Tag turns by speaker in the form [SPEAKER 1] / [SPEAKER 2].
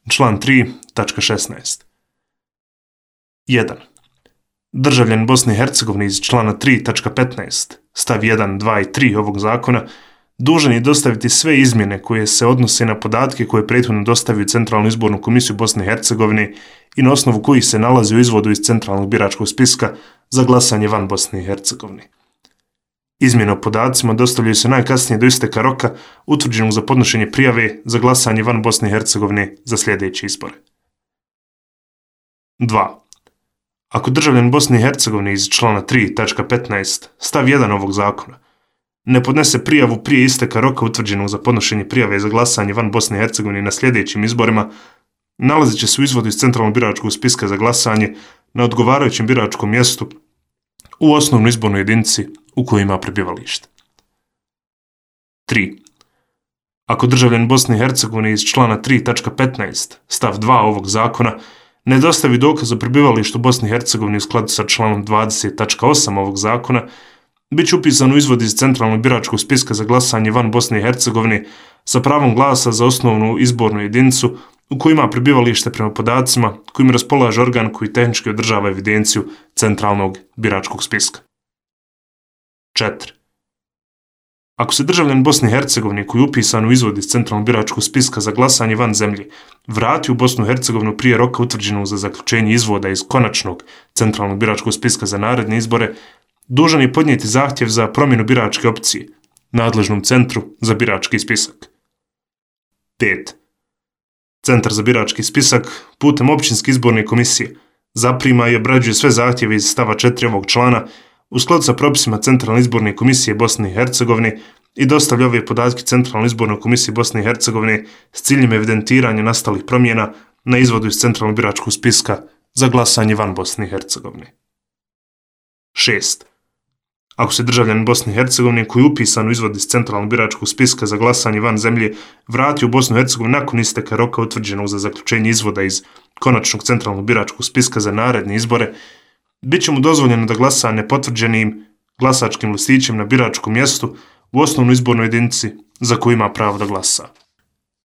[SPEAKER 1] Član 3.16. 1. Državljanin Bosne i Hercegovine iz člana 3.15 stav 1, 2 i 3 ovog zakona dužan je dostaviti sve izmjene koje se odnose na podatke koje prethodno dostavio Centralnu izbornu komisiju Bosne i Hercegovine i na osnovu kojih se nalazi u izvodu iz Centralnog biračkog spiska za glasanje van Bosne i Hercegovine. Izmjene o podacima dostavljaju se najkasnije do isteka roka utvrđenog za podnošenje prijave za glasanje van Bosne i Hercegovine za sljedeće izbore. 2. Ako državljanin Bosne i Hercegovine iz člana 3.15 stav 1 ovog zakona ne podnese prijavu prije isteka roka utvrđenog za podnošenje prijave za glasanje van Bosne i Hercegovine na sljedećim izborima, nalazit će se u izvodu iz Centralnog biračkog spiska za glasanje na odgovarajućem biračkom mjestu u osnovnoj izbornoj jedinici u kojoj ima prebivalište. 3. Ako državljanin Bosne i Hercegovine iz člana 3.15 stav 2 ovog zakona ne dostavi dokaz o prebivalištu Bosne i Hercegovine u skladu sa članom 20.8 ovog zakona, bit će upisan u izvod iz Centralnog biračkog spiska za glasanje van Bosne i Hercegovine sa pravom glasa za osnovnu izbornu jedinicu u kojoj ima prebivalište prema podacima kojim raspolaže organ koji tehnički održava evidenciju Centralnog biračkog spiska. 4. Ako se državljanin Bosne i Hercegovine koji je upisan u izvod iz Centralnog biračkog spiska za glasanje van zemlje vrati u Bosnu i Hercegovinu prije roka utvrđenog za zaključenje izvoda iz konačnog Centralnog biračkog spiska za naredne izbore, dužan je podnijeti zahtjev za promjenu biračke opcije nadležnom centru za birački spisak. 5. Centar za birački spisak putem općinske izborne komisije zaprima i obrađuje sve zahtjeve iz stava 4 ovog člana u skladu sa propisima Centralne izborne komisije Bosne i Hercegovine i dostavlja ove podatke Centralnoj izbornoj komisiji Bosne i Hercegovine s ciljem evidentiranja nastalih promjena na izvodu iz Centralnog biračkog spiska za glasanje van Bosne i Hercegovine. 6. Ako se državljanin Bosne i Hercegovine koji je upisan u izvod iz Centralnog biračkog spiska za glasanje van zemlje vrati u Bosnu i Hercegovinu nakon isteka roka utvrđenog za zaključenje izvoda iz konačnog Centralnog biračkog spiska za naredne izbore, bit će mu dozvoljeno da glasa nepotvrđenim glasačkim listićem na biračkom mjestu u osnovnoj izbornoj jedinici za koju ima pravo da glasa.